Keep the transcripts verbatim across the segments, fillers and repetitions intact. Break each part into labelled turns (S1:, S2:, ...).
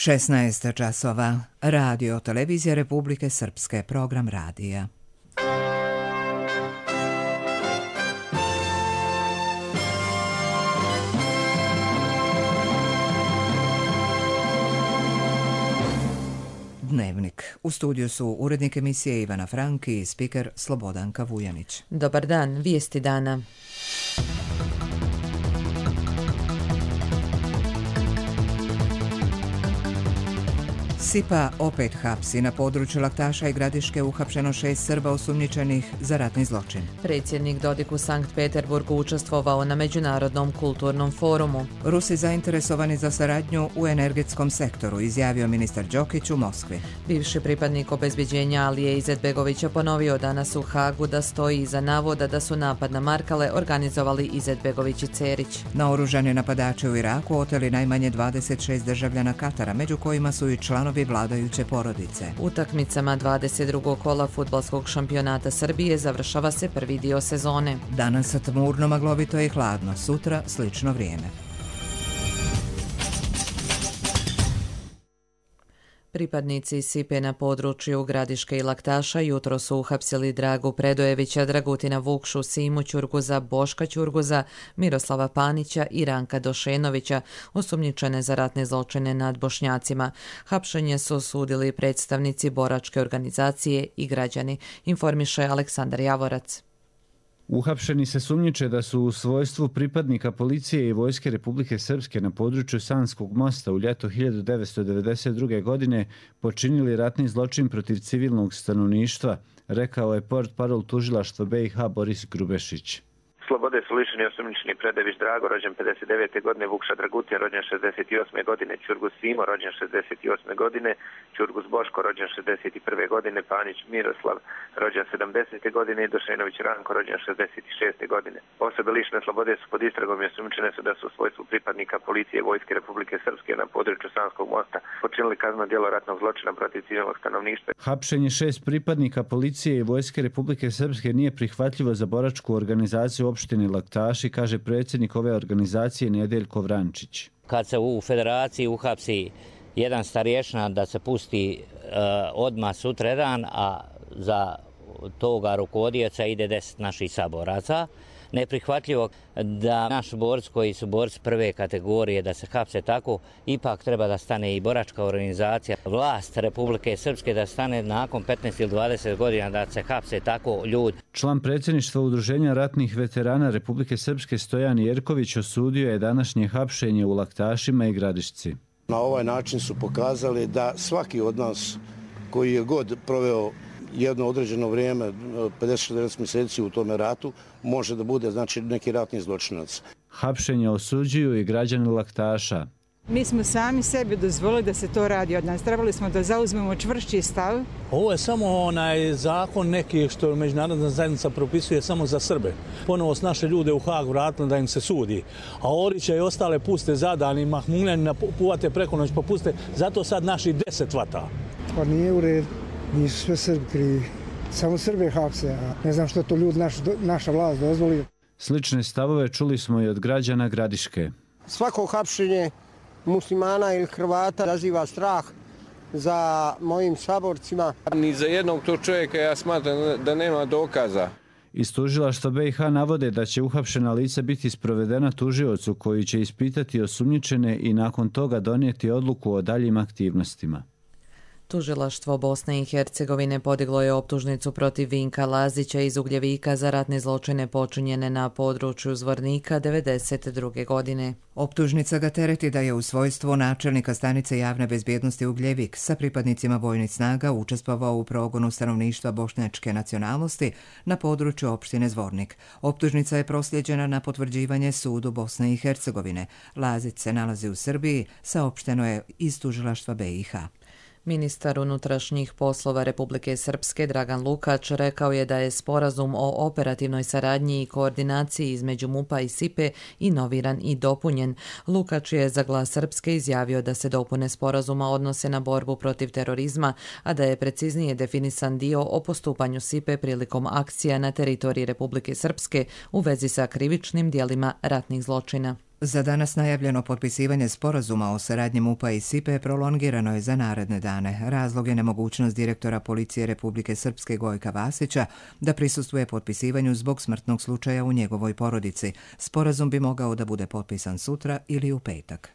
S1: šesnaest časova. Radio Televizija Republike Srpske, program radija. Dnevnik. U studiju su urednik emisije Ivana Franki i spiker Slobodanka Vujanić.
S2: Dobar dan, vijesti dana.
S1: Sipa opet hapsi. Na području Laktaša i Gradiške uhapšeno šest Srba osumnjičenih za ratni zločin.
S2: Predsjednik Dodik u Sankt Peterburgu učestvovao na Međunarodnom kulturnom forumu.
S1: Rusi zainteresovani za saradnju u energetskom sektoru, izjavio ministar Đokić u Moskvi.
S2: Bivši pripadnik obezbeđenja Alije Izetbegovića ponovio danas u Hagu da stoji iza navoda da su napad na Markale organizovali Izetbegović i Cerić.
S1: Naoružani napadači u Iraku oteli najmanje dvadeset šest državljana Katara, među kojima su i članovi vladajuće porodice.
S2: Utakmicama dvadeset drugog kola fudbalskog šampionata Srbije završava se prvi dio sezone.
S1: Danas tmurno, maglovito i hladno, sutra slično vrijeme.
S2: Pripadnici Sipe na području Gradiške i Laktaša jutro su uhapsili Dragu Predojevića, Dragutina Vukšu, Simu Ćurguza, Boška Ćurguza, Miroslava Panića i Ranka Došenovića, osumnjičene za ratne zločine nad Bošnjacima. Hapšenje su osudili predstavnici boračke organizacije i građani, informiše Aleksandar Javorac.
S3: Uhapšeni se sumnjiče da su u svojstvu pripadnika policije i vojske Republike Srpske na području Sanskog mosta u ljeto hiljadu devetsto devedeset druge. godine počinili ratni zločin protiv civilnog stanovništva, rekao je portparol tužilaštva B i H Boris Grubešić.
S4: Slobode su lišeni osumnjičeni Predojević Drago, rođen pedeset devete. godine, Vukša Dragutin, rođen šezdeset osme. godine, Ćurgus Simo, rođen šezdeset osme. godine, Ćurgus Boško, rođen šezdeset prve. godine, Panić Miroslav, rođen sedamdesete. godine i Došenović Ranko, rođen šezdeset šeste. godine. Osobe lišene slobode su pod istragom i osumnjičene su da su u svojstvu pripadnika policije i vojske Republike Srpske na području Sanskog mosta počinili kazneno djelo ratnog zločina protiv civilnog stanovništva.
S3: Hapšenje šest pripadnika policije i vojske Republike Srpske nije prihvatljivo za boračku organizaciju opštine Laktaši, kaže predsjednik ove organizacije Nedeljko Vrančić.
S5: Kad se u federaciji uhapsi jedan starješina da se pusti uh, odmah sutradan, a za toga rukovodioca ide deset naših saboraca. Neprihvatljivo da naši borci koji su borci prve kategorije da se hapse tako, ipak treba da stane i boračka organizacija, vlast Republike Srpske da stane nakon petnaest ili dvadeset godina da se hapse tako ljudi.
S3: Član predsjedništva Udruženja ratnih veterana Republike Srpske Stojan Jerković osudio je današnje hapšenje u Laktašima i Gradišci.
S6: Na ovaj način su pokazali da svaki od nas koji je god proveo jedno određeno vrijeme, pedeset šezdeset mjeseci u tome ratu, može da bude znači neki ratni zločinac.
S3: Hapšenje osuđuju i građani Laktaša.
S7: Mi smo sami sebi dozvolili da se to radi od nas. Trebali smo da zauzmemo čvršći stav.
S8: Ovo je samo onaj zakon neki što međunarodna zajednica propisuje samo za Srbe. Ponovo s naše ljude u Hag vratili da im se sudi. A Orića i ostale puste zadani, Mahmuljani napuvate preko noć pa puste. Zato sad naši deset vata.
S9: Pa nije u redu. Nisu sve Srbi krivi. Samo Srbe hapse, a ne znam što to ljudi, naš, naša vlast dozvoli.
S3: Slične stavove čuli smo i od građana Gradiške.
S10: Svako hapšenje muslimana ili Hrvata raziva strah za mojim saborcima.
S11: Ni za jednog tog čovjeka ja smatram da nema dokaza.
S3: Iz tužilaštva B i H navode da će uhapšena lica biti sprovedena tužiocu koji će ispitati osumnjičene i nakon toga donijeti odluku o daljim aktivnostima.
S2: Tužilaštvo Bosne i Hercegovine podiglo je optužnicu protiv Vinka Lazića iz Ugljevika za ratne zločine počinjene na području Zvornika devedeset druge. godine.
S1: Optužnica ga tereti da je u svojstvu načelnika stanice javne bezbjednosti Ugljevik sa pripadnicima vojnih snaga učestvovao u progonu stanovništva bošnjačke nacionalnosti na području opštine Zvornik. Optužnica je prosljeđena na potvrđivanje sudu Bosne i Hercegovine. Lazić se nalazi u Srbiji, saopšteno je iz tužilaštva B i H.
S2: Ministar unutrašnjih poslova Republike Srpske Dragan Lukač rekao je da je sporazum o operativnoj saradnji i koordinaciji između MUP-a i Sipe inoviran i dopunjen. Lukač je za Glas Srpske izjavio da se dopune sporazuma odnose na borbu protiv terorizma, a da je preciznije definisan dio o postupanju Sipe prilikom akcija na teritoriji Republike Srpske u vezi sa krivičnim dijelima ratnih zločina.
S1: Za danas najavljeno potpisivanje sporazuma o saradnji M U P-a i S I P-e prolongirano je za naredne dane. Razlog je nemogućnost direktora policije Republike Srpske Gojka Vasića da prisustvuje potpisivanju zbog smrtnog slučaja u njegovoj porodici. Sporazum bi mogao da bude potpisan sutra ili u petak.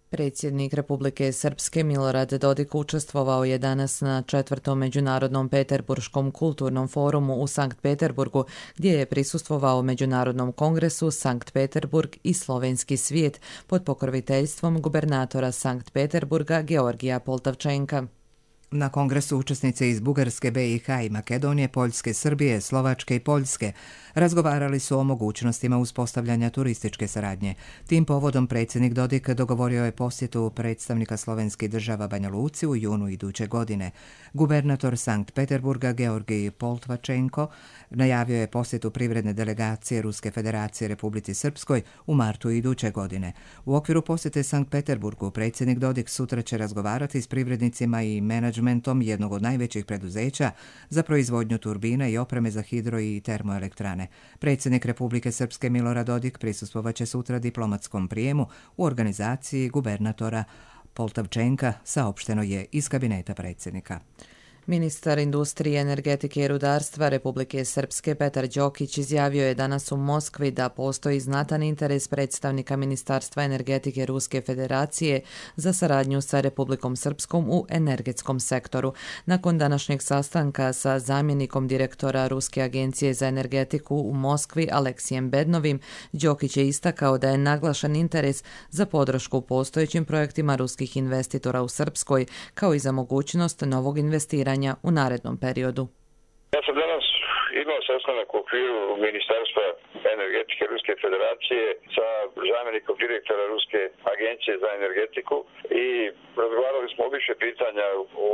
S2: Predsjednik Republike Srpske Milorad Dodik učestvovao je danas na četvrtom međunarodnom Peterburškom kulturnom forumu u Sankt Peterburgu, gdje je prisustvovao Međunarodnom kongresu Sankt Peterburg i slovenski svijet pod pokroviteljstvom gubernatora Sankt Peterburga Georgija Poltavčenka.
S1: Na kongresu učesnice iz Bugarske, B i H i Makedonije, Poljske, Srbije, Slovačke i Poljske razgovarali su o mogućnostima uspostavljanja turističke saradnje. Tim povodom predsjednik Dodik dogovorio je posjetu predstavnika slovenskih država Banja Luci u junu iduće godine. Gubernator Sankt Peterburga Georgij Poltvačenko najavio je posjetu privredne delegacije Ruske federacije Republici Srpskoj u martu iduće godine. U okviru posjete Sankt Peterburgu predsjednik Dodik sutra će razgovarati s privrednicima i menadžmentom jednog od najvećih preduzeća za proizvodnju turbina i opreme za hidro i termoelektrane. Predsjednik Republike Srpske Milorad Dodik prisustvovaće sutra diplomatskom prijemu u organizaciji gubernatora Poltavčenka, saopšteno je iz kabineta predsjednika.
S2: Ministar industrije, energetike i rudarstva Republike Srpske Petar Đokić izjavio je danas u Moskvi da postoji znatan interes predstavnika Ministarstva energetike Ruske federacije za saradnju sa Republikom Srpskom u energetskom sektoru. Nakon današnjeg sastanka sa zamjenikom direktora Ruske agencije za energetiku u Moskvi Aleksijem Bednovim, Đokić je istakao da je naglašen interes za podršku postojećim projektima ruskih investitora u Srpskoj, kao i za mogućnost novog investiranja u narednom periodu.
S12: Ja sam danas imao sastanak u okviru Ministarstva energetike Ruske federacije sa zamjenikom direktora Ruske agencije za energetiku i razgovarali smo o više pitanja u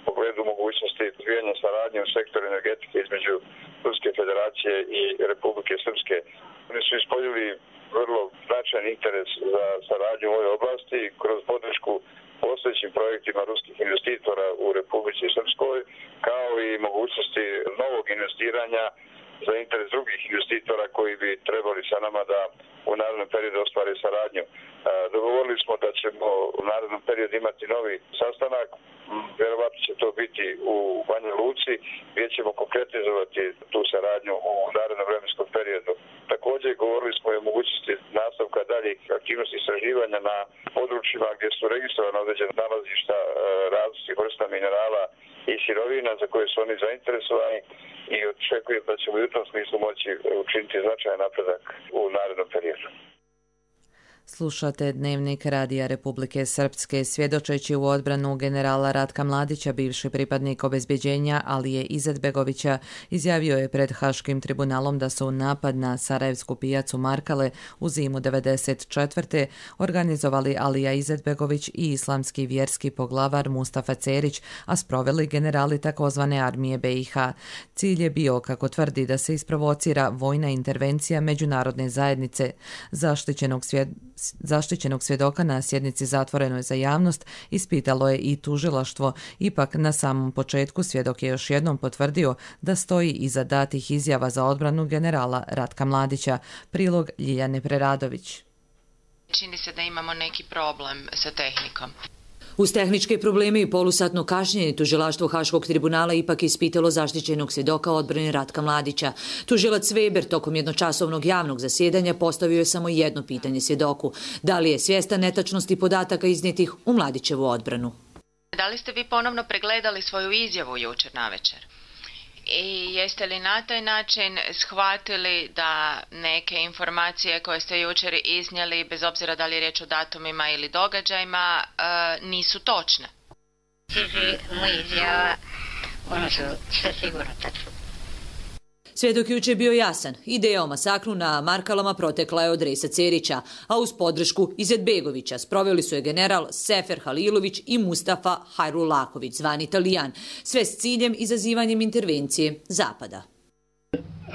S12: pogledu mogućnosti razvijanja saradnje u sektoru energetike između Ruske federacije i Republike Srpske. Oni su ispoljili vrlo značajan interes za saradnju u ovoj oblasti kroz podršku postojećim projektima ruskih investitora u Republici Srpskoj, kao i mogućnosti novog investiranja za interes drugih investitora koji bi trebali sa nama da u narednom periodu ostvare saradnju. Dogovorili smo da ćemo u narednom periodu imati novi sastanak, vjerovatno će to biti u Banja Luci, gdje ćemo konkretizovati tu saradnju u narednom vremenskom periodu. Također govorili smo i o mogućnosti nastavka daljih aktivnosti istraživanja na područjima gdje su registrovane određene nalazišta različitih vrsta minerala i sirovina za koje su oni zainteresovani i očekujem da ćemo u tom smislu moći učiniti značajan napredak u narednom periodu.
S2: Slušate Dnevnik Radija Republike Srpske. Svjedočeći u odbranu generala Ratka Mladića, bivši pripadnik obezbjeđenja Alije Izetbegovića izjavio je pred Haškim tribunalom da su napad na Sarajevsku pijacu Markale u zimu devedeset četvrte organizovali Alija Izetbegović i islamski vjerski poglavar Mustafa Cerić, a sproveli generali takozvane armije B i H. Cilj je bio, kako tvrdi, da se isprovocira vojna intervencija međunarodne zajednice. Zaštićenog svjed... Zaštićenog svjedoka na sjednici zatvorenoj za javnost ispitalo je i tužilaštvo. Ipak na samom početku svjedok je još jednom potvrdio da stoji iza datih izjava za odbranu generala Ratka Mladića. Prilog Ljiljane Preradović.
S13: Čini se da imamo neki problem sa tehnikom.
S14: Uz tehničke probleme i polusatno kašnjenje, tužilaštvo Haškog tribunala ipak ispitalo zaštićenog svjedoka odbrane Ratka Mladića. Tužilac Weber tokom jednočasovnog javnog zasjedanja postavio je samo jedno pitanje svjedoku. Da li je svjestan netačnosti podataka iznijetih u Mladićevu odbranu?
S13: Da li ste vi ponovno pregledali svoju izjavu jučer navečer? I jeste li na taj način shvatili da neke informacije koje ste jučer iznijeli, bez obzira da li je riječ o datumima ili događajima, nisu točne?
S15: Moja izjava, ono su sve sigurno tačno.
S14: Svjedok juče je bio jasan. Ideja o masakru na Markalama protekla je od Rejsa Cerića, a uz podršku Izetbegovića sproveli su je general Sefer Halilović i Mustafa Hajrulaković, zvani Italijan, sve s ciljem izazivanjem intervencije Zapada.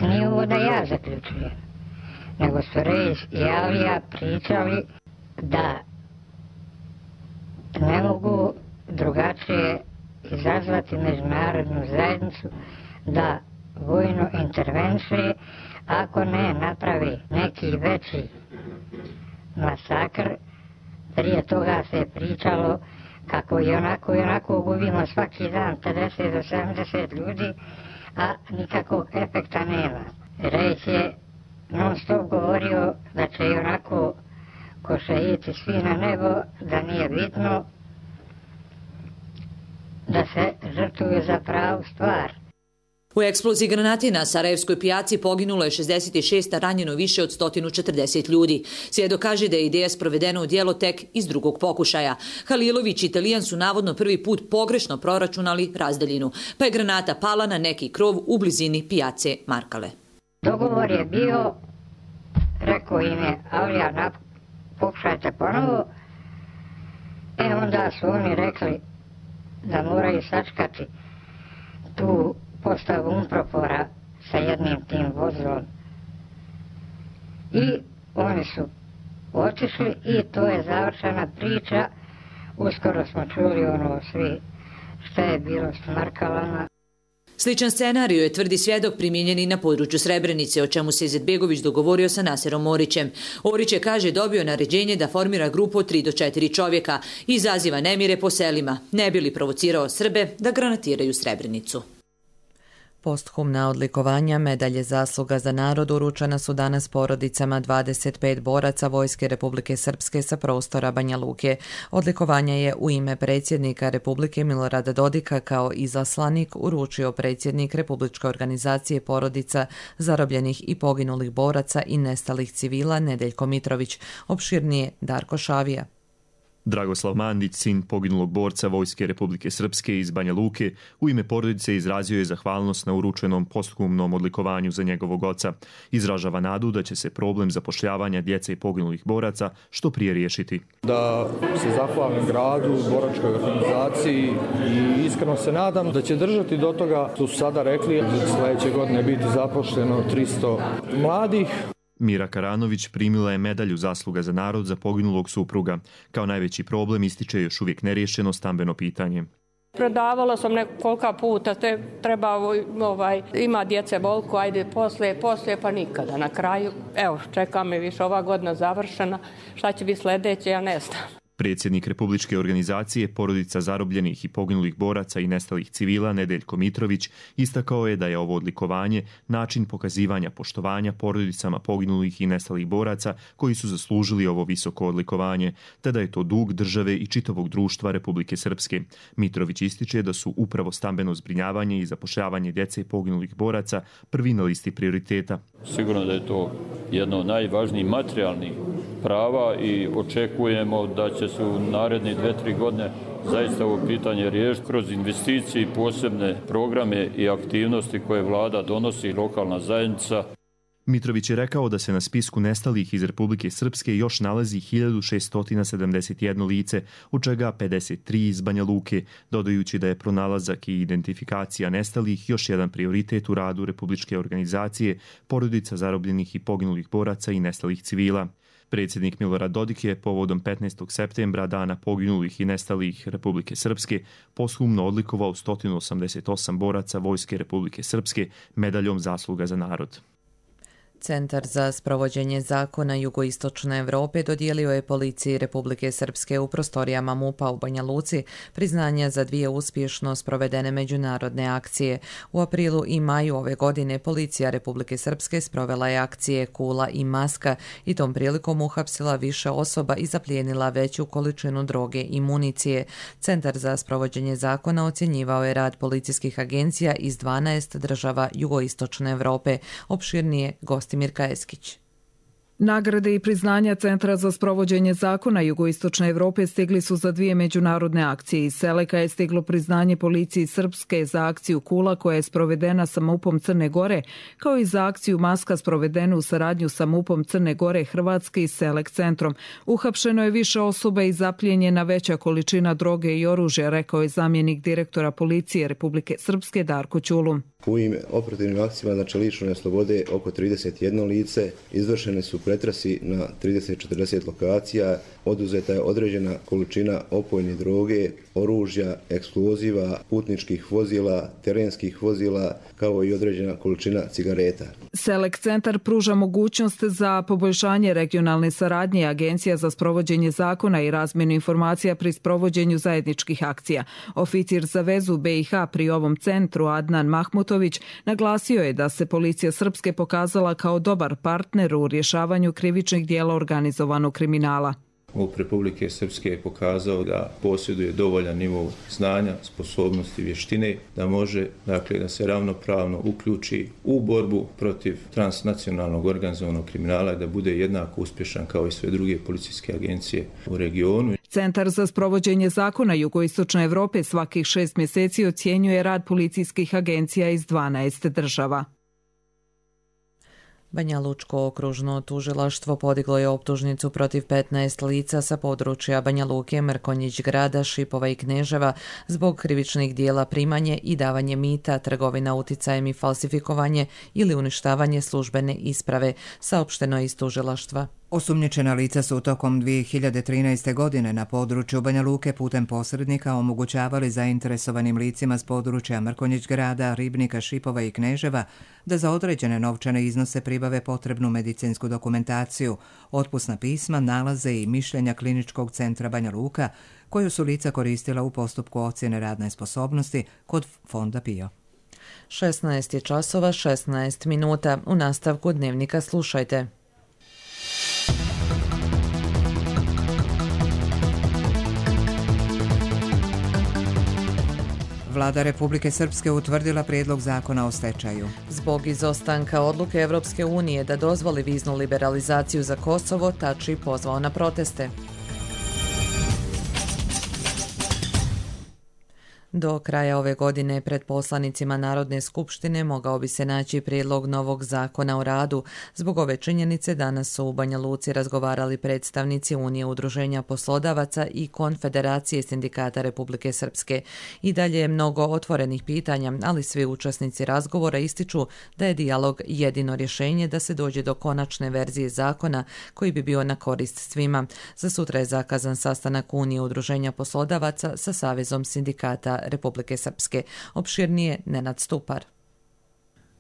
S15: Nije ovo da ja zaključujem, nego su Rejs i Alija pričali da ne mogu drugačije izazvati međunarodnu zajednicu da vojnu intervenciju ako ne napravi neki veći masakr. Prije toga se je pričalo kako i onako i onako gubimo svaki dan pedeset do sedamdeset ljudi, a nikakvog efekta nema. Rejs je non stop govorio da će i onako ko šeiti svi na nebo, da nije bitno da se žrtvuju za pravu stvar.
S14: U eksploziji granate na Sarajevskoj pijaci poginulo je šezdeset šest, a ranjeno više od sto četrdeset ljudi. Svjedok kaže da je ideja sprovedena u djelo tek iz drugog pokušaja. Halilović i Italijan su navodno prvi put pogrešno proračunali razdaljinu, pa je granata pala na neki krov u blizini pijace Markale.
S15: Dogovor je bio, rekao im je, Avlija, pokušajte ponovo. E onda su oni rekli da moraju sačkati tu postavu Unpropora sa jednim tim vozilom. I oni su otišli i to je završena priča. Uskoro smo čuli ono svi šta je bilo s Markalama.
S14: Sličan scenarij je, tvrdi svjedok, primijenjen i na području Srebrenice, o čemu se Izetbegović dogovorio sa Naserom Orićem. Orić je, kaže, dobio naređenje da formira grupu od tri do četiri čovjeka i izaziva nemire po selima, ne bi li provocirao Srbe da granatiraju Srebrenicu.
S2: Posthumna odlikovanja medalje zasluga za narod uručena su danas porodicama dvadeset pet boraca Vojske Republike Srpske sa prostora Banja Luke. Odlikovanja je u ime predsjednika Republike Milorada Dodika kao izaslanik uručio predsjednik Republičke organizacije porodica zarobljenih i poginulih boraca i nestalih civila Nedeljko Mitrović, opširnije Darko Šavija.
S16: Dragoslav Mandić, sin poginulog borca Vojske Republike Srpske iz Banja Luke, u ime porodice izrazio je zahvalnost na uručenom posthumnom odlikovanju za njegovog oca. Izražava nadu da će se problem zapošljavanja djece i poginulih boraca što prije riješiti.
S17: Da se zahvalim gradu, boračkoj organizaciji i iskreno se nadam da će držati do toga, tu su sada rekli, sljedeće godine biti zaposleno tristo mladih.
S16: Mira Karanović primila je medalju zasluga za narod za poginulog supruga. Kao najveći problem ističe još uvijek neriješeno stambeno pitanje.
S18: Prodavala sam nekolika puta, te treba, ovaj, ima djece bolku, ajde poslije, poslije, pa nikada. Na kraju, evo, čeka me više ova godina završena, šta će biti sljedeće, ja ne znam.
S16: Predsjednik Republičke organizacije porodica zarobljenih i poginulih boraca i nestalih civila Nedeljko Mitrović istakao je da je ovo odlikovanje način pokazivanja poštovanja porodicama poginulih i nestalih boraca koji su zaslužili ovo visoko odlikovanje, te da je to dug države i čitavog društva Republike Srpske. Mitrović ističe da su upravo stambeno zbrinjavanje i zapošljavanje djece poginulih boraca prvi na listi prioriteta.
S19: Sigurno da je to jedno od najvažnijih materijalnih prava i očekujemo da će se u naredne dve, tri godine zaista ovo pitanje riješiti kroz investicije i posebne programe i aktivnosti koje vlada donosi i lokalna zajednica.
S16: Mitrović je rekao da se na spisku nestalih iz Republike Srpske još nalazi hiljadu šesto sedamdeset jedno lice, od čega pedeset tri iz Banja Luke, dodajući da je pronalazak i identifikacija nestalih još jedan prioritet u radu Republičke organizacije, porodica zarobljenih i poginulih boraca i nestalih civila. Predsjednik Milorad Dodik je povodom petnaestog septembra, dana poginulih i nestalih Republike Srpske, posthumno odlikovao sto osamdeset osam boraca Vojske Republike Srpske medaljom zasluga za narod.
S2: Centar za sprovođenje zakona Jugoistočne Evrope dodijelio je policiji Republike Srpske u prostorijama MUP-a u Banja Luci priznanja za dvije uspješno sprovedene međunarodne akcije. U aprilu i maju ove godine policija Republike Srpske sprovela je akcije Kula i Maska i tom prilikom uhapsila više osoba i zaplijenila veću količinu droge i municije. Centar za sprovođenje zakona ocjenjivao je rad policijskih agencija iz dvanaest država Jugoistočne Evrope. Opširnije gost Mirka Eskić.
S20: Nagrade i priznanja Centra za sprovođenje zakona Jugoistočne Evrope stigli su za dvije međunarodne akcije. Iz Seleka je stiglo priznanje policiji Srpske za akciju Kula koja je sprovedena sa MUP-om Crne Gore, kao i za akciju Maska sprovedenu u saradnju sa MUP-om Crne Gore, Hrvatske i Selek centrom. Uhapšeno je više osoba i zaplijenjena veća količina droge i oružja, rekao je zamjenik direktora policije Republike Srpske Darko Ćulum.
S21: U ovim operativnim akcijama, znači lišene slobode oko trideset jedno lice, izvršene su pretrasi na trideset do četrdeset lokacija, oduzeta je određena količina opojne droge, oružja, eksploziva, putničkih vozila, terenskih vozila, kao i određena količina cigareta.
S20: Selek centar pruža mogućnost za poboljšanje regionalne saradnje Agencija za sprovođenje zakona i razmjenu informacija pri sprovođenju zajedničkih akcija. Oficir za vezu be i ha pri ovom centru Adnan Mahmutović naglasio je da se policija Srpske pokazala kao dobar partner u rješavanju krivičnih dijela organizovanog kriminala.
S22: MUP Republike Srpske je pokazao da posjeduje dovoljan nivo znanja, sposobnosti, vještine, da može, dakle, da se ravnopravno uključi u borbu protiv transnacionalnog organizovanog kriminala i da bude jednako uspješan kao i sve druge policijske agencije u regionu.
S20: Centar za sprovođenje zakona Jugoistočne Evrope svakih šest mjeseci ocjenjuje rad policijskih agencija iz dvanaest država.
S2: Banja Lučko okružno tužilaštvo podiglo je optužnicu protiv petnaest lica sa područja Banja Luke, Mrkonjić grada, Šipova i Kneževa zbog krivičnih dijela primanje i davanje mita, trgovina uticajem i falsifikovanje ili uništavanje službene isprave, saopšteno je iz tužilaštva.
S1: Osumnjičena lica su tokom dvije hiljade trinaeste. godine na području Banja Luke putem posrednika omogućavali zainteresovanim licima s područja Mrkonjić grada, Ribnika, Šipova i Kneževa da za određene novčane iznose pribave potrebnu medicinsku dokumentaciju, otpusna pisma, nalaze i mišljenja Kliničkog centra Banja Luka, koju su lica koristila u postupku ocjene radne sposobnosti kod Fonda Pio.
S2: šesnaest je časova, šesnaest minuta. U nastavku dnevnika slušajte.
S1: Vlada Republike Srpske utvrdila prijedlog zakona o stečaju.
S2: Zbog izostanka odluke Evropske unije da dozvoli viznu liberalizaciju za Kosovo, Tači pozvao na proteste. Do kraja ove godine pred poslanicima Narodne skupštine mogao bi se naći prijedlog novog zakona o radu. Zbog ove činjenice danas su u Banja Luci razgovarali predstavnici Unije udruženja poslodavaca i Konfederacije sindikata Republike Srpske. I dalje je mnogo otvorenih pitanja, ali svi učesnici razgovora ističu da je dijalog jedino rješenje da se dođe do konačne verzije zakona koji bi bio na korist svima. Za sutra je zakazan sastanak Unije udruženja poslodavaca sa Savezom sindikata Republike Srpske. Opširnije Nenad Stupar.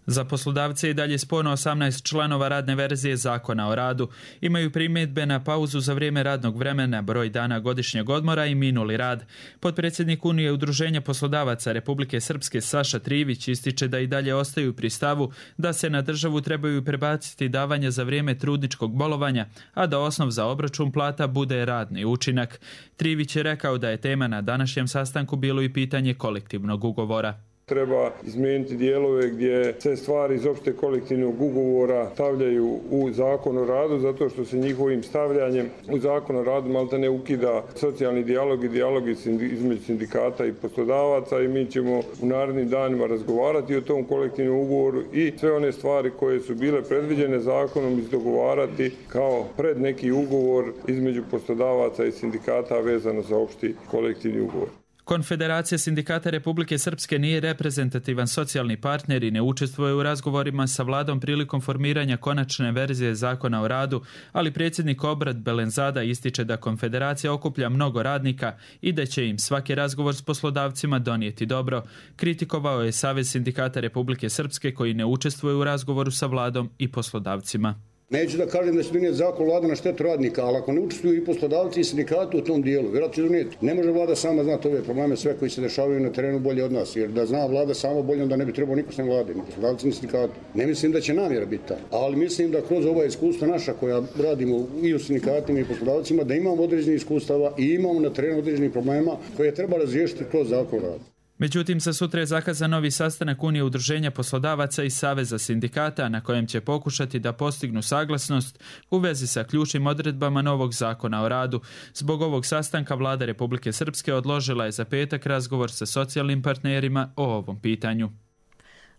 S23: Za poslodavce je dalje sporno osamnaest članova radne verzije zakona o radu. Imaju primjedbe na pauzu za vrijeme radnog vremena, broj dana godišnjeg odmora i minuli rad. Potpredsjednik Unije udruženja poslodavaca Republike Srpske Saša Trivić ističe da i dalje ostaju pri stavu da se na državu trebaju prebaciti davanja za vrijeme trudničkog bolovanja, a da osnov za obračun plata bude radni učinak. Trivić je rekao da je tema na današnjem sastanku bilo i pitanje kolektivnog ugovora.
S11: Treba izmijeniti dijelove gdje se stvari iz opšte kolektivnog ugovora stavljaju u zakon o radu, zato što se njihovim stavljanjem u zakon o radu malta ne ukida socijalni dijalog i dijalog između sindikata i poslodavaca i mi ćemo u narednim danima razgovarati o tom kolektivnom ugovoru i sve one stvari koje su bile predviđene zakonom izdogovarati kao pred neki ugovor između poslodavaca i sindikata vezano za opšti kolektivni ugovor.
S23: Konfederacija sindikata Republike Srpske nije reprezentativan socijalni partner i ne učestvuje u razgovorima sa vladom prilikom formiranja konačne verzije zakona o radu, ali predsjednik Obrad Belenzada ističe da konfederacija okuplja mnogo radnika i da će im svaki razgovor s poslodavcima donijeti dobro. Kritikovao je Savez sindikata Republike Srpske koji ne učestvuje u razgovoru sa vladom i poslodavcima.
S24: Neću da kažem da će donijeti zakon vlada na štetu radnika, ali ako ne učestvuju i poslodavci i sindikati u tom dijelu, vjerojatno će donijeti. Ne može vlada sama znati ove probleme, sve koji se dešavaju na terenu bolje od nas, jer da zna vlada sama bolje, onda ne bi trebao niko sem vlade, ni poslodavci ni sindikati. Ne mislim da će namjera biti ta, ali mislim da kroz ova iskustva naša koja radimo i u sindikatima i poslodavcima, da imamo određenih iskustava i imamo na terenu određenih problema koje treba razriješiti kroz zakon rada.
S23: Međutim, sa sutra je zakazan novi sastanak Unije udruženja poslodavaca i Saveza sindikata na kojem će pokušati da postignu saglasnost u vezi sa ključnim odredbama novog zakona o radu. Zbog ovog sastanka vlada Republike Srpske odložila je za petak razgovor sa socijalnim partnerima o ovom pitanju.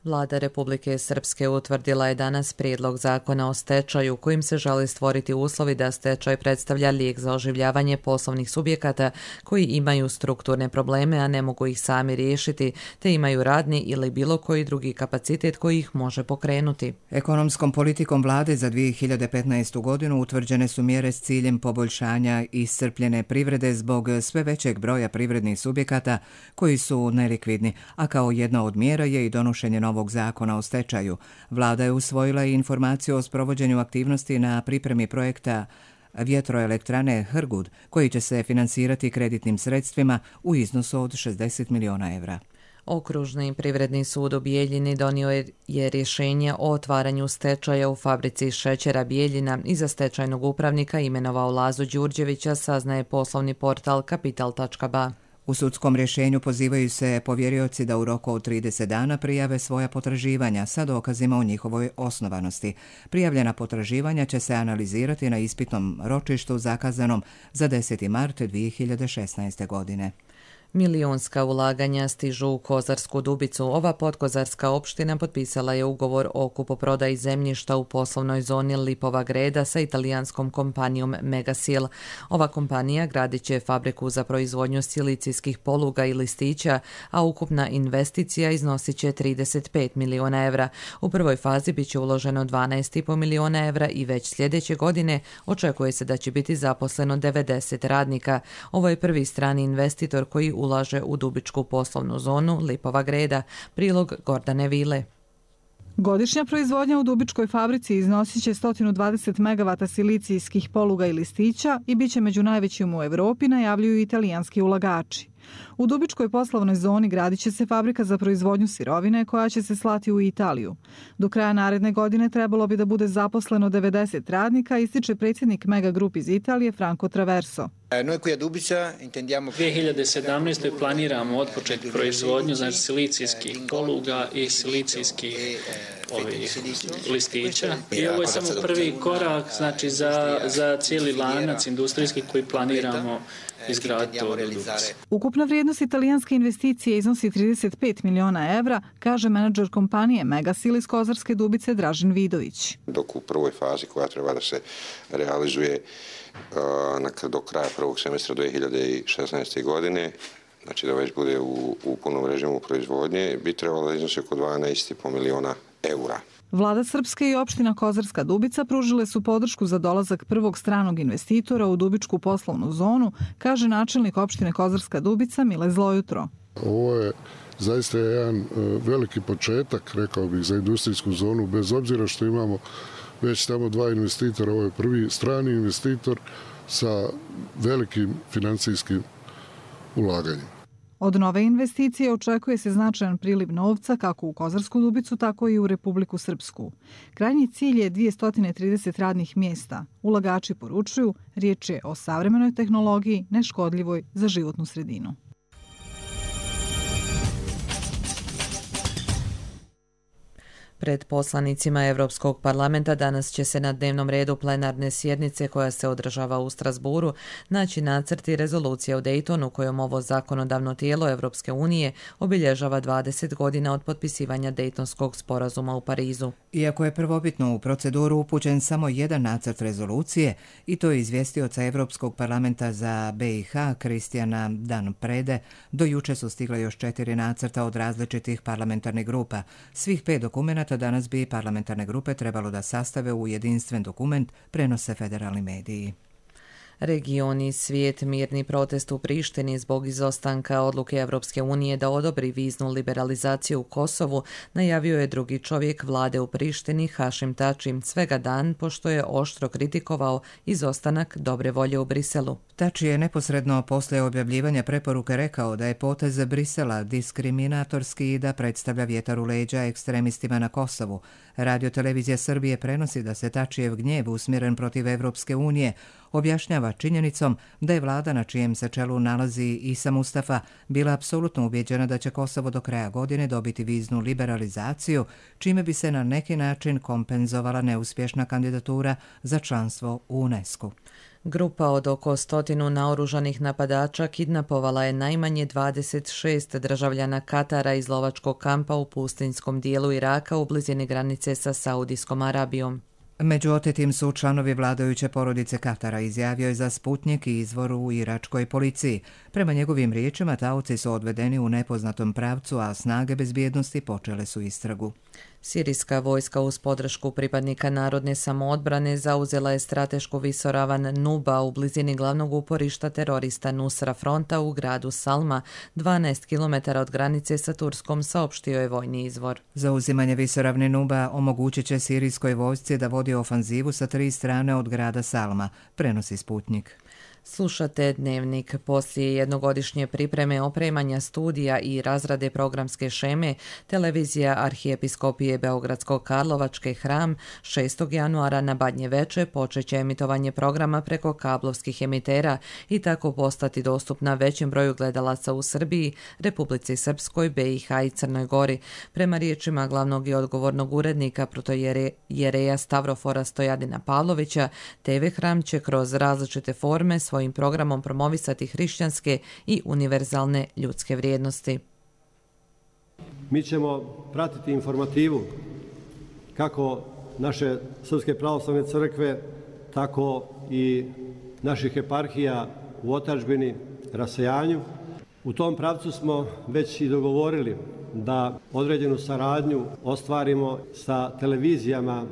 S2: Vlada Republike Srpske utvrdila je danas prijedlog zakona o stečaju kojim se želi stvoriti uslovi da stečaj predstavlja lijek za oživljavanje poslovnih subjekata koji imaju strukturne probleme, a ne mogu ih sami riješiti, te imaju radni ili bilo koji drugi kapacitet koji ih može pokrenuti.
S1: Ekonomskom politikom vlade za dvije hiljade petnaestu godinu utvrđene su mjere s ciljem poboljšanja iscrpljene privrede zbog sve većeg broja privrednih subjekata koji su nelikvidni, a kao jedna od mjera je i donošenje novog zakona o stečaju. Vlada je usvojila i informaciju o sprovođenju aktivnosti na pripremi projekta vjetroelektrane Hrgud, koji će se finansirati kreditnim sredstvima u iznosu od šezdeset miliona evra.
S2: Okružni privredni sud u Bijeljini donio je rješenje o otvaranju stečaja u fabrici šećera Bijeljina i za stečajnog upravnika imenovao Lazu Đurđevića, saznaje poslovni portal kapital tačka ba.
S1: U sudskom rješenju pozivaju se povjerioci da u roku od trideset dana prijave svoja potraživanja sa dokazima o njihovoj osnovanosti. Prijavljena potraživanja će se analizirati na ispitnom ročištu zakazanom za deseti mart dvije hiljade šesnaeste. godine.
S2: Milionska ulaganja stižu u Kozarsku Dubicu. Ova podkozarska opština potpisala je ugovor o kupoprodaji zemljišta u poslovnoj zoni Lipova Greda sa italijanskom kompanijom Megasil. Ova kompanija gradit će fabriku za proizvodnju silicijskih poluga i listića, a ukupna investicija iznosit će trideset pet miliona evra. U prvoj fazi bit će uloženo dvanaest i po miliona evra i već sljedeće godine očekuje se da će biti zaposleno devedeset radnika. Ovo je prvi strani investitor koji ulaže u dubičku poslovnu zonu Lipova Greda. Prilog Gordane Vile.
S4: Godišnja proizvodnja u dubičkoj fabrici iznosit će sto dvadeset megavata silicijskih poluga i listića i bit će među najvećim u Evropi, najavljuju italijanski ulagači. U dubičkoj poslovnoj zoni gradit će se fabrika za proizvodnju sirovine koja će se slati u Italiju. Do kraja naredne godine trebalo bi da bude zaposleno devedeset radnika, ističe predsjednik Mega Group iz Italije Franco Traverso.
S5: dvije hiljade sedamnaeste. planiramo otpočeti proizvodnju znači silicijskih poluga i silicijskih ovih listića. I ovo je samo prvi korak znači za, za cijeli lanac industrijski koji planiramo izgraditi ovdje u Dubici.
S4: Ukupna vrijednost italijanske investicije iznosi trideset pet miliona evra, kaže menadžer kompanije Megasil iz Kozarske Dubice Dražen Vidović.
S6: Dok u prvoj fazi koja treba da se realizuje uh, do kraja prvog semestra dvije hiljade šesnaeste. godine, znači da već bude u, u punom režimu proizvodnje, bi trebalo da iznosi oko dvanaest i po miliona eura.
S4: Vlada Srpske i opština Kozarska Dubica pružile su podršku za dolazak prvog stranog investitora u dubičku poslovnu zonu, kaže načelnik opštine Kozarska Dubica Mile Zlojutro.
S7: Ovo je zaista jedan veliki početak, rekao bih, za industrijsku zonu, bez obzira što imamo već tamo dva investitora. Ovo je prvi strani investitor sa velikim financijskim ulaganjem.
S4: Od nove investicije očekuje se značajan priliv novca kako u Kozarsku Dubicu, tako i u Republiku Srpsku. Krajnji cilj je dvjesto trideset radnih mjesta. Ulagači poručuju, riječ je o savremenoj tehnologiji, neškodljivoj za životnu sredinu.
S2: Pred poslanicima Evropskog parlamenta danas će se na dnevnom redu plenarne sjednice koja se održava u Strasburu naći nacrti rezolucije o Daytonu kojom ovo zakonodavno tijelo Evropske unije obilježava dvadeset godina od potpisivanja Daytonskog sporazuma u Parizu.
S1: Iako je prvobitno u proceduru upućen samo jedan nacrt rezolucije, i to je izvjestioca Evropskog parlamenta za B i H Kristijana Dan Prede, do juče su stigle još četiri nacrta od različitih parlamentarnih grupa. Svih pet dokumenata danas bi parlamentarne grupe trebalo da sastave u jedinstven dokument, prenose federalni mediji.
S2: Region i svijet mirni protest u Prištini zbog izostanka odluke Evropske unije da odobri viznu liberalizaciju u Kosovu najavio je drugi čovjek vlade u Prištini Hašim Tači svega dan pošto je oštro kritikovao izostanak dobre volje u Briselu.
S1: Tači je neposredno posle objavljivanja preporuke rekao da je potez Brisela diskriminatorski i da predstavlja vjetar u leđa ekstremistima na Kosovu. Radio Televizija Srbije prenosi da se Tačijev gnjev usmjeren protiv Evropske unije objašnjava činjenicom da je vlada na čijem se čelu nalazi Isa Mustafa bila apsolutno ubjeđena da će Kosovo do kraja godine dobiti viznu liberalizaciju, čime bi se na neki način kompenzovala neuspješna kandidatura za članstvo u UNESCO.
S2: Grupa od oko stotinu naoružanih napadača kidnapovala je najmanje dvadeset šest državljana Katara iz lovačkog kampa u pustinjskom dijelu Iraka u blizini granice sa Saudijskom Arabijom.
S1: Među otetim su članovi vladajuće porodice Katara, izjavio je za Sputnjik i izvor u iračkoj policiji. Prema njegovim riječima, taoci su odvedeni u nepoznatom pravcu, a snage bezbjednosti počele su istragu.
S2: Sirijska vojska uz podršku pripadnika narodne samoodbrane zauzela je stratešku visoravan Nuba u blizini glavnog uporišta terorista Nusra Fronta u gradu Salma, dvanaest kilometara od granice sa Turskom, saopštio je vojni izvor.
S1: Zauzimanje visoravne Nuba omogućit će sirijskoj vojsci da vodi ofanzivu sa tri strane od grada Salma, prenosi Sputnjik.
S2: Slušate Dnevnik. Poslije jednogodišnje pripreme, opremanja studija i razrade programske šeme, televizija Arhijepiskopije Beogradsko-Karlovačke Hram šestog januara na Badnje veče počeće emitovanje programa preko kablovskih emitera i tako postati dostupna većem broju gledalaca u Srbiji, Republici Srpskoj, B i H i Crnoj Gori. Prema riječima glavnog i odgovornog urednika protojereja Stavrofora Stojadina Pavlovića, T V Hram će kroz različite forme svojim programom promovisati hrišćanske i univerzalne ljudske vrijednosti.
S3: Mi ćemo pratiti informativu kako naše Srpske pravoslavne crkve, tako i naših eparhija u otadžbini, rasejanju. U tom pravcu smo već i dogovorili da određenu saradnju ostvarimo sa televizijama,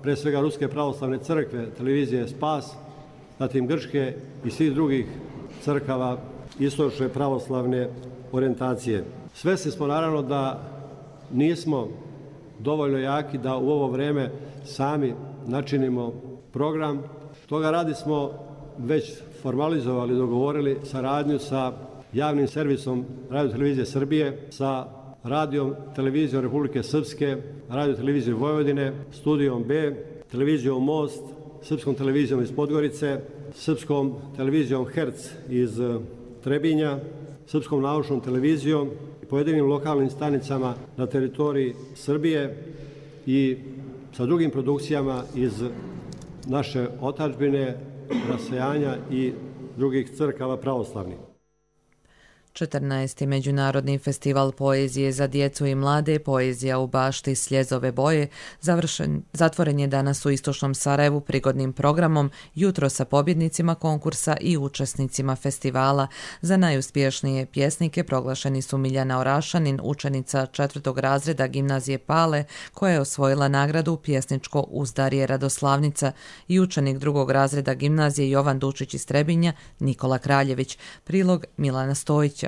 S3: pre svega Ruske pravoslavne crkve, televizije Spas, zatim Grčke i svih drugih crkava istočne pravoslavne orijentacije. Svesni smo naravno da nismo dovoljno jaki da u ovo vreme sami načinimo program. Toga radi smo već formalizovali, dogovorili saradnju sa javnim servisom Radio televizije Srbije, sa radijom televizijom Republike Srpske, Radio televizijom Vojvodine, studijom B, televizijom Most, Srpskom televizijom iz Podgorice, Srpskom televizijom Herc iz Trebinja, Srpskom naučnom televizijom i pojedinim lokalnim stanicama na teritoriji Srbije i sa drugim produkcijama iz naše otadžbine, rasejanja i drugih crkava pravoslavnih.
S2: četrnaesti. Međunarodni festival poezije za djecu i mlade, Poezija u bašti Sljezove boje, završen, zatvoren je danas u istočnom Sarajevu prigodnim programom, jutro sa pobjednicima konkursa i učesnicima festivala. Za najuspješnije pjesnike proglašeni su Miljana Orašanin, učenica četvrtog razreda gimnazije Pale, koja je osvojila nagradu Pjesničko uzdarje Radoslavnica, i učenik drugog razreda gimnazije Jovan Dučić iz Trebinja, Nikola Kraljević. Prilog Milana Stojića.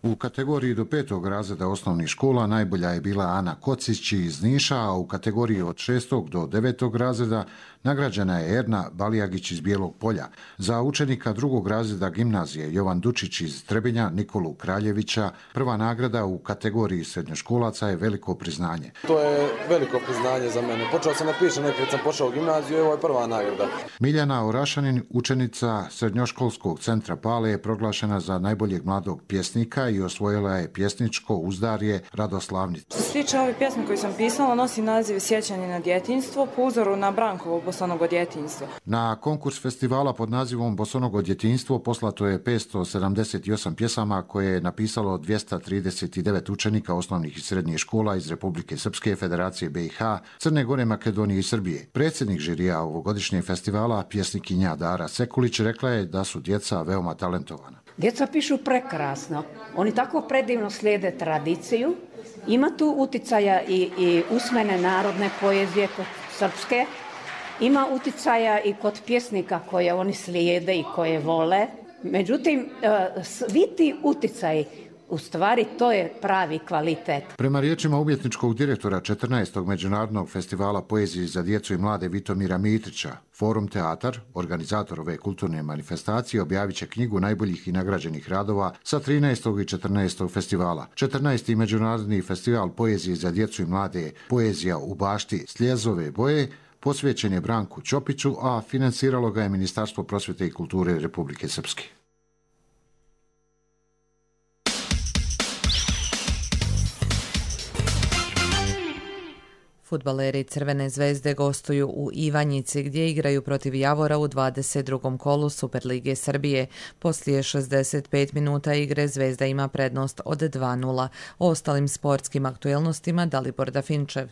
S8: U kategoriji do petog razreda osnovnih škola najbolja je bila Ana Kocić iz Niša, a u kategoriji od šestog do devetog razreda nagrađena je Erna Balijagić iz Bijelog Polja. Za učenika drugog razreda gimnazije Jovan Dučić iz Trebinja, Nikolu Kraljevića, prva nagrada u kategoriji srednjoškolaca je veliko priznanje.
S9: To je veliko priznanje za mene. Počeo sam da pišem nekad sam pošao u gimnaziju i ovo je prva nagrada.
S8: Miljana Orašanin, učenica srednjoškolskog centra Pale, je proglašena za najboljeg mladog pjesnika i osvojila je Pjesničko uzdarje Radoslavnicu.
S10: Što se tiče ove pjesme koju sam pisala, nosi naziv Sjećanje na djetinjstvo po uzoru na Brankovo Bosonogo djetinjstvo.
S8: Na konkurs festivala pod nazivom Bosonogo djetinjstvo poslato je petsto sedamdeset osam pjesama koje je napisalo dvjesto trideset devet učenika osnovnih i srednjih škola iz Republike Srpske, Federacije B i H, Crne Gore, Makedonije i Srbije. Predsjednik žirija ovogodišnjeg festivala, pjesnikinja Dara Sekulić, rekla je da su djeca veoma talentovana.
S25: Djeca pišu prekrasno, oni tako predivno slijede tradiciju, ima tu uticaja i, i usmene narodne poezije kod srpske, ima uticaja i kod pjesnika koje oni slijede i koje vole. Međutim, svi ti uticaji, u stvari, to je pravi kvalitet.
S8: Prema riječima umjetničkog direktora četrnaestog Međunarodnog festivala poezije za djecu i mlade Vitomira Mitrića, Forum Teatar, organizator ove kulturne manifestacije, objavit će knjigu najboljih i nagrađenih radova sa trinaestog i četrnaestog festivala. četrnaesti Međunarodni festival poezije za djecu i mlade Poezija u bašti Sljezove boje posvećen je Branku Ćopiću, a financiralo ga je Ministarstvo prosvjete i kulture Republike Srpske.
S2: Fudbaleri Crvene zvezde gostuju u Ivanjici gdje igraju protiv Javora u dvadeset drugom kolu Superlige Srbije. Poslije šezdeset pet minuta igre Zvezda ima prednost od dva nula. O ostalim sportskim aktuelnostima Dalibor Dafinčev.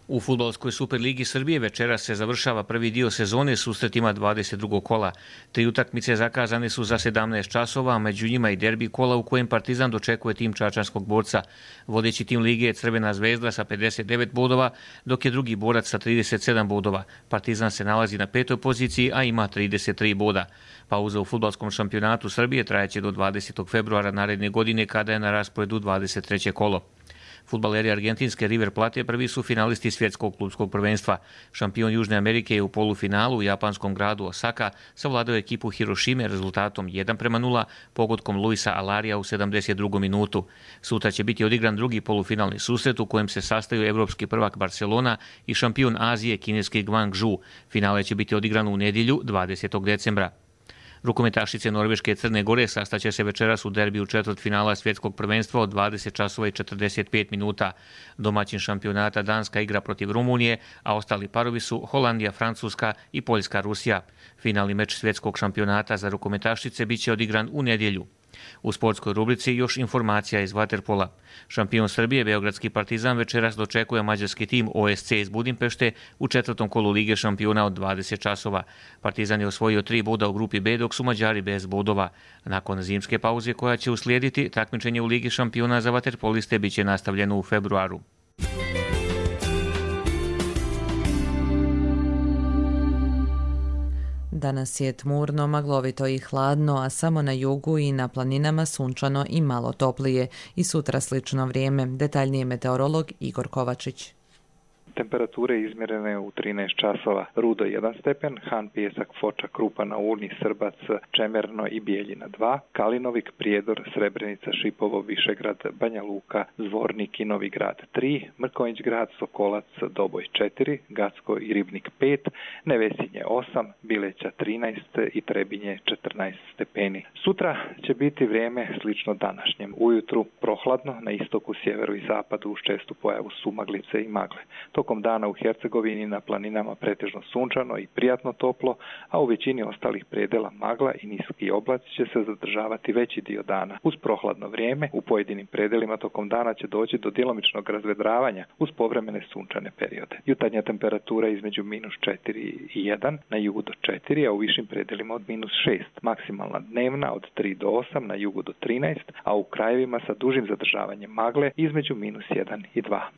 S12: U fudbalskoj Superligi Srbije večeras se završava prvi dio sezone susretima dvadeset drugog kola. Tri utakmice zakazane su za sedamnaest časova, a među njima i derbi kola u kojem Partizan dočekuje tim čačanskog borca. Vodeći tim lige je Crvena zvezda sa pedeset devet bodova, dok je drugi borac sa trideset sedam bodova. Partizan se nalazi na petoj poziciji, a ima trideset tri boda. Pauza u fudbalskom šampionatu Srbije trajeće do dvadesetog februara naredne godine kada je na rasporedu dvadeset treće kolo. Fudbaleri argentinske River Plate prvi su finalisti svjetskog klubskog prvenstva. Šampion Južne Amerike je u polufinalu u japanskom gradu Osaka savladao ekipu Hirošime rezultatom jedan prema nula pogodkom Luisa Alarija u sedamdeset drugom minutu. Sutra će biti odigran drugi polufinalni susret u kojem se sastaju evropski prvak Barcelona i šampion Azije kineski Guangzhou. Finale će biti odigrano u nedjelju dvadesetog decembra. Rukometašice Norveške i Crne Gore sastaće se večeras u derbiju četvrtfinala svjetskog prvenstva od dvadeset časova i četrdeset pet minuta. Domaćin šampionata Danska igra protiv Rumunije, a ostali parovi su Holandija, Francuska i Poljska, Rusija. Finalni meč svjetskog šampionata za rukometašice biće odigran u nedjelju. U sportskoj rubrici još informacija iz vaterpola. Šampion Srbije, beogradski Partizan, večeras dočekuje mađarski tim O S C iz Budimpešte u četvrtom kolu Lige šampiona od dvadeset časova. Partizan je osvojio tri boda u grupi B, dok su Mađari bez bodova. Nakon zimske pauze koja će uslijediti, takmičenje u Ligi šampiona za vaterpoliste biće nastavljeno u februaru.
S2: Danas je tmurno, maglovito i hladno, a samo na jugu i na planinama sunčano i malo toplije. I sutra slično vrijeme. Detaljnije meteorolog Igor Kovačić.
S13: Temperature izmjerene u trinaest časova. Rudo jedan stepen, Han, Pijesak, Foča, Krupa na Uni, Srbac, Čemerno i Bijeljina dva, Kalinovik, Prijedor, Srebrenica, Šipovo, Višegrad, Banja Luka, Zvornik i Novi Grad tri, Mrkonjić Grad, Sokolac, Doboj četiri, Gacko i Ribnik pet, Nevesinje osam, Bileća trinaest i Trebinje četrnaest stepeni. Sutra će biti vrijeme slično današnjem. Ujutru prohladno, na istoku, sjeveru i zapadu uz čestu pojavu sumaglice i magle. Tokom dana u Hercegovini na planinama pretežno sunčano i prijatno toplo, a u većini ostalih predela magla i niski oblaci će se zadržavati veći dio dana. Uz prohladno vrijeme u pojedinim predelima tokom dana će doći do djelomičnog razvedravanja uz povremene sunčane periode. Jutarnja temperatura između minus četiri i jedan, na jugu do četiri, a u višim predelima od minus šest. Maksimalna dnevna od tri do osam, na jugu do trinaest, a u krajevima sa dužim zadržavanjem magle između minus jedan i dva.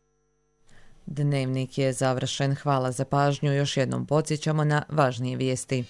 S2: Dnevnik je završen. Hvala za pažnju. Još jednom podsjećamo na važnije vijesti.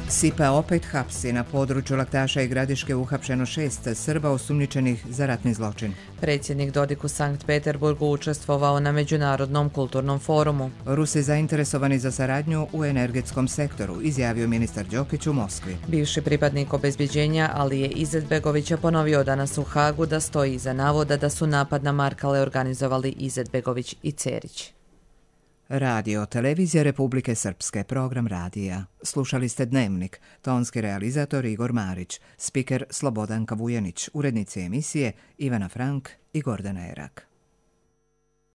S1: S I P A opet hapsi. Na području Laktaša i Gradiške uhapšeno šest Srba osumnjičenih za ratni zločin.
S2: Predsjednik Dodik u Sankt Peterburgu učestvovao na Međunarodnom kulturnom forumu.
S1: Rusi zainteresovani za saradnju u energetskom sektoru, izjavio ministar Đokić u Moskvi.
S2: Bivši pripadnik obezbjeđenja Alije Izetbegovića ponovio danas u Hagu da stoji iza navoda da su napad na Markale organizovali Izetbegović i Cerić.
S1: Radio, televizija Republike Srpske, program radija. Slušali ste Dnevnik, tonski realizator Igor Marić, spiker Slobodanka Vujanić, urednici emisije Ivana Frank i Gordana Erak.